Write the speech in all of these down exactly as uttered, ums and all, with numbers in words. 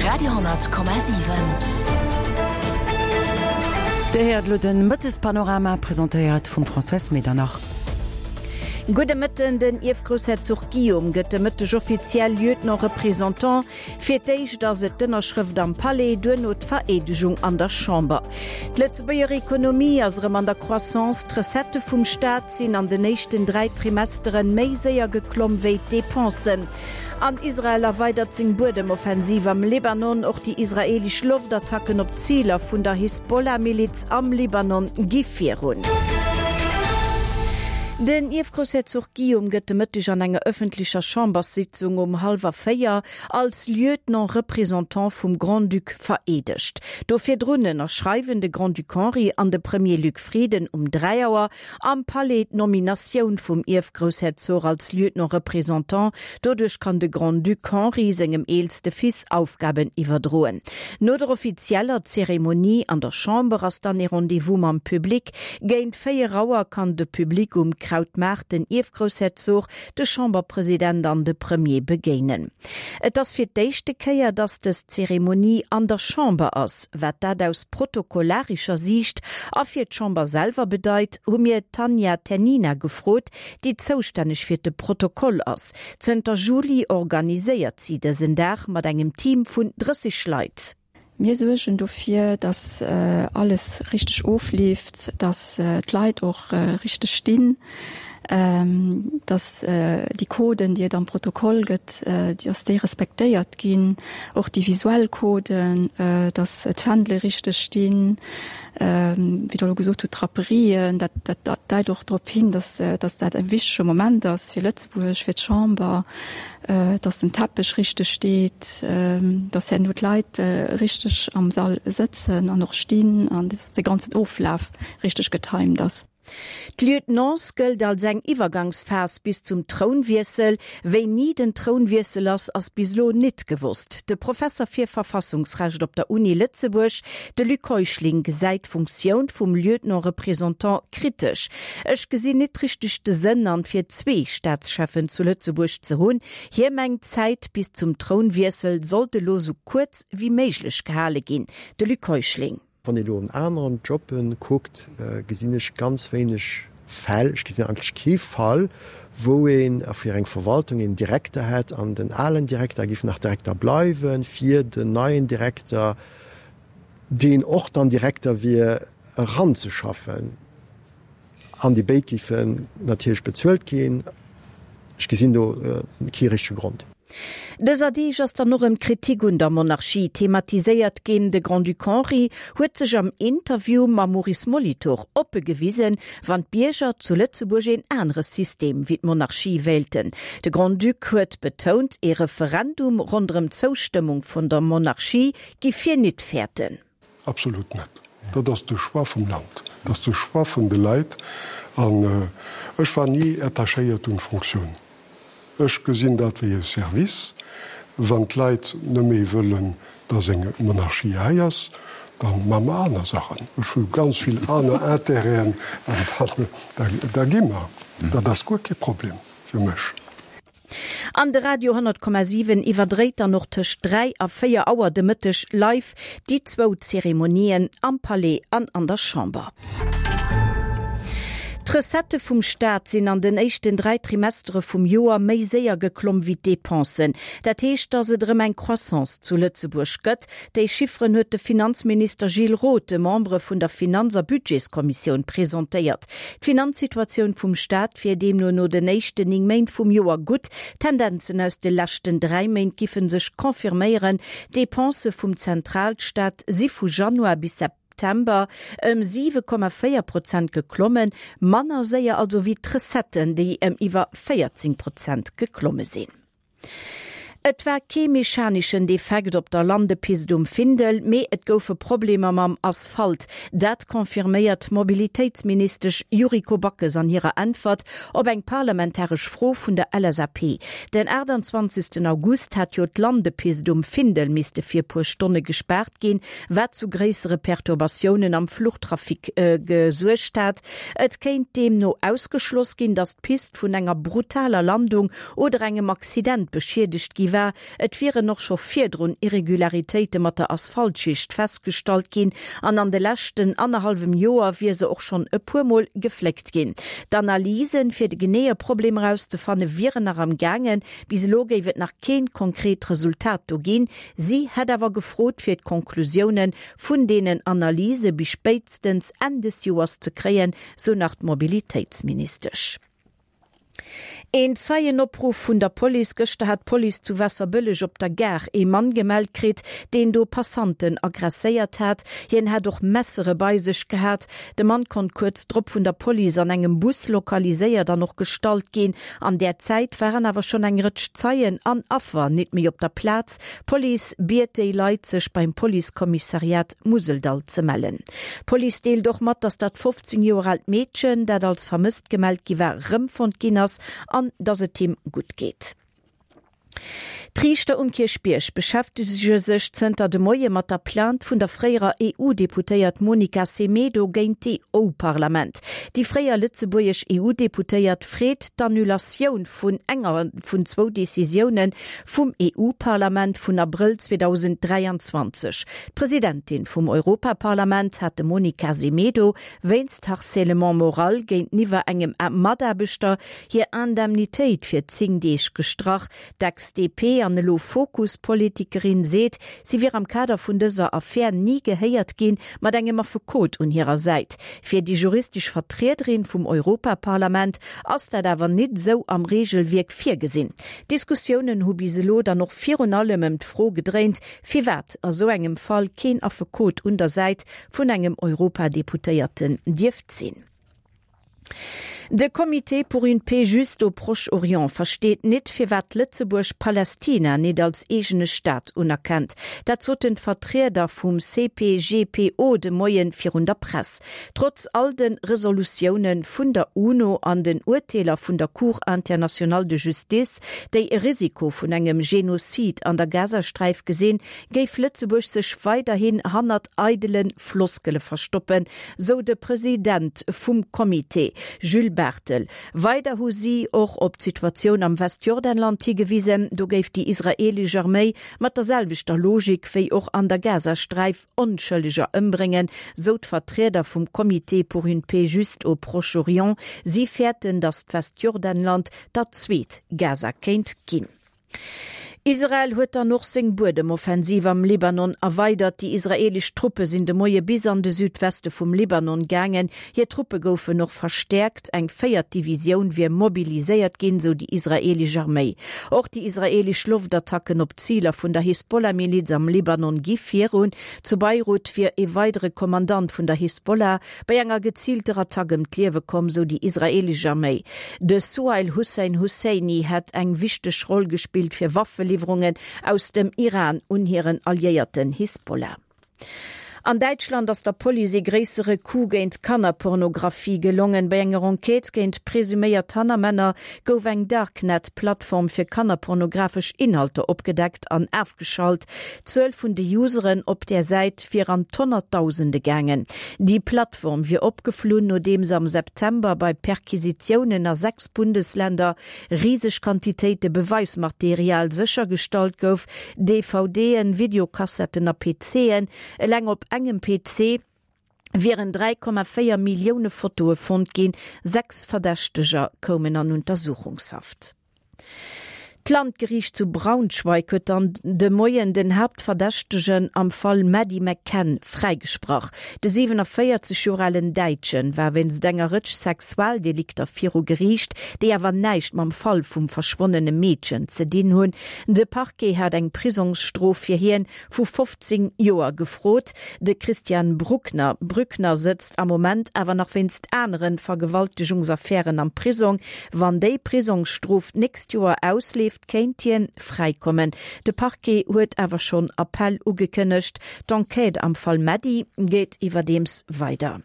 Radio honnert Komma siwen. Dir héiert elo de Mëttespanorama, presentéiert vum Françoise Medernach. Gudde Mëtten, Den Ierfgroussherzog Guillaume gëtt de Mëtteg offiziell Lieutenant-Représentant. Fir d'éischt ass et d'Ënnerschrëft am Palais, duerno d'Vereedegung an der Chamber. D'Lëtzebuerger Ekonomie ass erëm an der Croissance, d'Recettë vum Staat sinn an den éischten dräi Trimesteren méi séier geklomm wéi d'Depensen. An Israel erweidert seng Buedemoffensiv am Libanon. Och déi israeelesch Loftattacken op Ziler vun der Hisbollah-Miliz am Libanon gi virun. Den Ierfgroussherzog Guillaume gëtt de Mëtteg an enger ëffentlecher Chamberssitzung um hallwer véier als Lieutenant-Représentant vum Grand-Duc vereedegt. Do virdrun ënnerschreiwen de Grand-Duc Henri an de Premier Luc Frieden um dräi Auer am Palais d'Nominatioun vum Ierfgroussherzog als Lieutenant-Représentant. Doduerch kann de Grand-Duc Henri sengem eelste Fils Aufgaben iwwerdroen. No der offizieller Zeremonie an der Chamber ass dann ee Rendez-vous mam Public. Géint véier Auer kann de Public um Krautmaart den Ierfgroussherzog, de Chamberpresident an de Premier begéinen. Et ass fir d'éischte Kéier, datt dës Zeremonie an der Chamber ass. Wat dat aus protokollarescher Siicht a fir d'Chamber selwer bedeit, hu mir d'Tanja Ternina gefrot, déi zoustänneg fir de Protokoll ass. Zënter Juli organiséiert si dësen Dag mat engem Team vun drësseg Leit. Mir suergen dofir, dass alles richteg ofleeft, dass d'Leit och richteg stinn, dass déi Coden, déi et am Protokoll gëtt, dass déi respektéiert ginn, och déi visuell Coden, dass d'Fändele richteg stinn, wéi Der elo gesot hutt, d'Draperien, dat dat deit och drop hin, dass dass dat e wichtege Moment ass fir Lëtzebuerg, fir d'Chamber, dass den Teppech richteg steet, dass herno d'Leit richteg am Sall sëtzen an och stinn an dass de ganzen Oflaf richteg getimed ass. D'Lieutenance gëllt als eng Iwwergangsphas bis zum Trounwiessel. Wéini den Trounwiessel ass, ass bis elo nit gewosst. De Professer fir Verfassungsrecht op der Uni Lëtzebuerg, de Luc Heuschling, gesäit d'Funktioun vum Lieutenant-Représentant kritesch. Ech gesinn nit richteg de Sënn an, fir zwee Staatscheffen zu Lëtzebuerg ze hunn. Hie mengt, d'Zäit bis zum Trounwiessel sollt elo sou kuerz wéi méiglech gehale ginn. De Luc Heuschling. Wann ee lo an aneren Jobben kuckt, gesinn ech ganz wéineg Fäll, ech gesinn eigentlech kee Fall, wou een fir eng Verwaltung een Direkter hätt an den alen Direkter géif nach Direkter bleiwen, fir den neien Direkter, deen och dann Direkter wier, eranzeschaffen. An déi béid géifen natierlech bezuelt ginn. Ech gesinn do kee richtege Grond. Dëser Deeg ass dann och erëm d'Kritik un der Monarchie thematiséiert ginn. De Grand-Duc Henri huet sech am Interview mam Maurice Molitor oppe gewisen, wann d'Bierger zu Lëtzebuerg een anere System wéi d'Monarchie wéilten. De Grand-Duc huet betount, ee Referendum ronderëm d'Zoustëmmung vun der Monarchie giff hien nit fäerten. Absolut net. Dat ass de Choix vum Land, dat ass de Choix vun de Leit. An ech war ni attachéiert un d'Fonctioun. Ech gesinn dat wéi e Service. Wann d'Leit net méi wëllen, dass eng Monarchie hei ass, da maache mer aner Saachen. Ech hu ganz vill aner Intérêten an da gi mer. Dat ass guer kee Problem fir mech. An de Radio honnert Komma siwen iwwerdréit dann och tëscht dräi a véier Auer de Mëtteg live déi zwou Zeremonien am Palais an an der Chamber. D'Recettë vum Staat sinn an den éischten dräi Trimestere vum Joer méi séier geklomm wéi d'Depensen. Dat heescht, datt et erëm eng Croissance zu Lëtzebuerg gëtt. Déi Chifferen huet de Finanzminister Gilles Roth de Membere vun der Finanz a Budgetskommissioun presentéiert. D'Finanzsituatioun vum Staat wier deemno no den éischten néng Méint vum Joer gutt. D'Tendenzen aus de leschten dräi Méint giffe sech confirméieren. D'Depensë vum Zentralstaat si vu Januar bis September ëm siwe Komma véier Prozent geklommen, manner séier also wéi d'Recetten, déi ëm iwwer véierzéng Prozent geklomme sinn. Et war kee mechaneschen Defekt op der Landepist um Findel, mee et goufe Problemer mam Asphalt. Dat confirméiert d'Mobilitéitsministesch Yuriko Backes an hirer Äntwert op eng parlamentaresch Fro vun der L S A P. Den aachtanzwanzegsten August hat jo d'Landepist um Findel misste fir puer Stonne gespaart ginn, wat zu gréissere Perturbatiounen am Fluchtrafic gesuergt hat. Et kéint deemno ausgeschloss ginn, datt d'Pist vun enger brutaler Landung oder engem Accident beschiedegt gi war. war. Et wieren och scho virdrun Irregularitéite mat der Asphaltschicht festgestallt ginn an an de leschten annerhallwem Joer wier se och schonn e puer Mol gefléckt ginn. D'Analysen, fir de geneeë Problem erauszefanne wieren nach am gaangen. Bis elo géif et nach keen konkret Resultat do ginn. Si hätt awer gefrot, fir d'Konklusiounen vun deenen Analyse bis spéitstens Enn des Joers ze kréien, sou nach d'Mobilitéitsministesch. Een Zeienopruff vun der Police, Gëschter hat d'Police zu Waasserbëlleg op der Gare ee Mann gemellt kritt, deen do Passanten aggresséiert hat. Hien hätt och Messere bei sech gehat. De Mann konnt kuerz drop vun der Police an engem Bus lokaliséiert an och gestallt ginn. An där Zäit waren awer schonn eng Rëtsch Zeien an Affer nit méi op der Plaz. D'Police biet déi Leit, sech beim Policekommissariat Museldall ze mellen. D'Police deelt och mat, dass dat fofzéng Joer aalt Meedchen, dat als vermësst gemellt gi war, rëmfonnt ginn ass an dass et him gutt geet. D'Riichter um Kierchbierg beschäftege sech zënter de Moie mat der Plainte vun der fréierer E U-Deputéiert Monica Semedo géint d'E U-Parlament. Déi fréier lëtzebuergesch E U-Deputéiert freet d'Annulatioun vun enger vun zwou Decisioune vum E U-Parlament vun Abrëll zweedausenddräianzwanzeg. D'Presidentin vum Europaparlament hat dem Monica Semedo wéinst Harcèlement moral géinteniwwer engem Mataarbechter hir Indemnitéit fir zéng Deeg gestrach. D'Ex-D P an elo Fokus-Politikerin seet, si wier am Kader vun dëser Affär ni gehéiert ginn, mat engem Affekot un hirer Säit. Fir déi juristesch Vertriederin vum Europaparlament ass dat awer nit esou am Reegelwierk virgesinn. D'Diskussiounen hu bis elo dann och virun allem ëm d'Fro gedréint, firwat a sou engem Fall keen Affekot un der Säit vun engem Europadeputéierten dierft sinn. De Comité pour une paix juste au Proche-Orient versteet nit, firwat Lëtzebuerg Palästina nit als eegene Staat unerkennt. Dat soten d'Vertrieder vum C P G P O de Moien virun der Press. Trotz all de Resolutioune vun der UNO an den Urteeler vun der Cour internationale de Justice, déi e Risiko vun engem Genozid an der Gazasträif gesinn, géif Lëtzebuerg sech weiderhin hannert eidele Floskele verstoppen, sou de President vum Comité, Jules Barthel. Weider hu si och op d'Situatioun am Westjordanland higewisen, do géif déi israeelesch Arméi mat der selwechter Logik wéi och an der Gazasträif Onschëlleger ëmbréngen, sou d'Vertrieder vum Comité pour une paix juste au Proche-Orient. Si fäerten, datt d'Westjordanland dat zweet Gaza kéint ginn. Israel huet dann och seng Buedemoffensiv am Libanon erweidert. Déi israeelesch Truppe sinn de Moie bis an de Südweste vum Libanon gaangen. Hir Truppe goufen och verstäerkt, eng véiert Divisioun wier mobiliséiert ginn, sou déi israeelesch Arméi. Och déi israeelesch Loftattacken op Ziler vun der Hisbollah-Miliz am Libanon gi virun. Zu Beirut wier e weidere Kommandant vun der Hisbollah bei enger geziilter Attack ëm d'Liewe komm, sou déi israeelesch Arméi. De Suhail Hussein Husseini hätt eng wichteg Roll gespillt fir Waffeliwwerungen aus dem Iran un hiren Alliéierten Hisbollah. An Däitschland ass der Police ee gréissere Coup géint Kannerpornografie gelongen. Bei enger Enquête géint presuméiert Hannermänner gouf eng Darknet-Plattform fir kannerpornografesch Inhalter opgedeckt an ofgeschalt. D'Zuel vun de Useren op där Säit wier an d'Honnertdausende gaangen. Déi Plattform wier opgeflunn, nodeems am September bei Perquisitiounen a sechs Bundesländer riseg Quantitéite Beweismaterial séchergestallt gouf, D V D'en, Videokassetten a P C'en. Eleng op engem P C wieren dräi Komma véier Millioune Fotoe fonnt ginn. Sechs Verdächteger koumen an Untersuchungshaft. D'Landgeriicht zu Braunschweig huet dann de Moien den Haaptverdächtegen am Fall Maddie McCann fräigesprach. De siewenenvéierzeg Joer alen Däitsche war wéinst enger Rëtsch Sexualdelikter viru Geriicht, déi awer näischt mam Fall vum verschwonnene Meedchen ze dinn hunn. De Parquet hat eng Prisongsstrof fir hien vu fofzéng Joer gefrot. De Christian Bruckner Brückner sëtzt am Moment awer nach wéinst anere Vergewaltegungsaffären am Prisong. Wann déi Prisongsstrof d'nächst Joer ausleeft, kéint hien fräikommen. De Parquet huet awer schonn Appell ugekënnegt. D'Enquête am Fall Maddie geet iwwerdeems weider.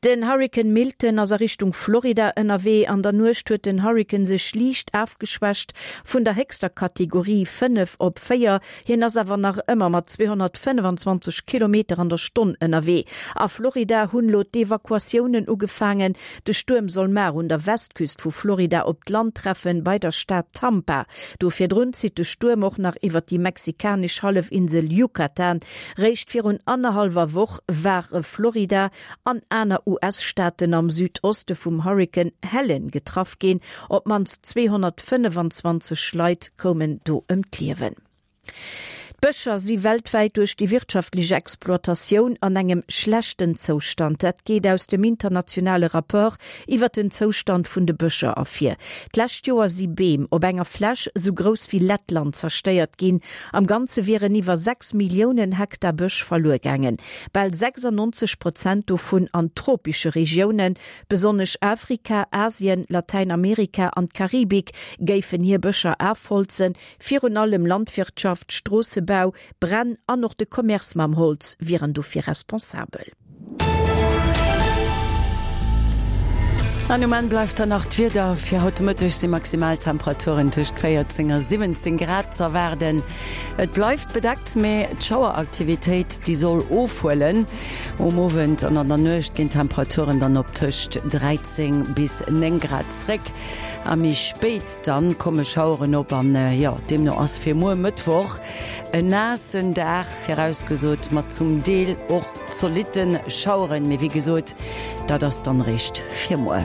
Den Hurrikan Milton ass a Richtung Florida ënnerwee. An der Nuecht huet den Hurrikan sech liicht afgeschwächt vun der héchster Kategorie fënnef op véier. Hien ass awer nach ëmmer mat zweehonnertfënnefenzwanzeg Kilometer an der Stonn ënnerwee. A Florida hunn elo d'Evakuatiounen ugefaangen. De Stuerm soll mar un der Westküst vu Florida op d'Land treffen, bei der Stad Tampa. Do virdrun zitt de Stuerm och nach iwwer déi mexikanesch Hallefinsel Yucatan. Réischt virun annerhallwer Woch ware Florida an aner U S-Staaten am Südoste vum Hurrikan Helene getraff ginn. Op d'mannst zweehonnertfënnefenzwanzeg Leit koumen do ëm d'Liewen. D'Bëscher si weltwäit duerch déi wirtschaftlech Exploitatioun an engem schlechten Zoustand. Dat geet aus dem internationale Rapport iwwer den Zoustand vun de Bëscher ervir. D'lescht Joer si Beem op enger Fläch sou grouss wéi Lettland zerstéiert ginn. Am Ganze wieren iwwer sechs Milliounen Hektar Bësch verluer gaangen. Bal sechsundneunzeg Prozent dovun an tropesche Regiounen, besonnesch Afrika, Asien, Latäinamerika an d'Karibik géifen hir Bëscher afholzen. Virun allem Landwirtschaft, Stroossebau, Bränn an och de Commerce mam Holz wieren dofir responsabel. An um Enn bleift dann nach d'Wieder, Fir haut de Mëtteg si Maximaltemperaturen tëscht véierzéng a siwwenzéng Grad z'erwaarden. Et bleift bedeckt, mee d'Schaueraktivitéit, déi soll ofhuelen. Um Owend an an der Nuecht ginn d'Temperaturen dann op tëscht dräizéng bis néng Grad zréck. A méi spéit dann komme Schaueren op an jo, deemno ass fir muer Mëttwoch en naassen Dag virausgesot, mat zum Deel och zolitte Schaueren. Mee wéi gesot, dat ass dann réischt fir muer.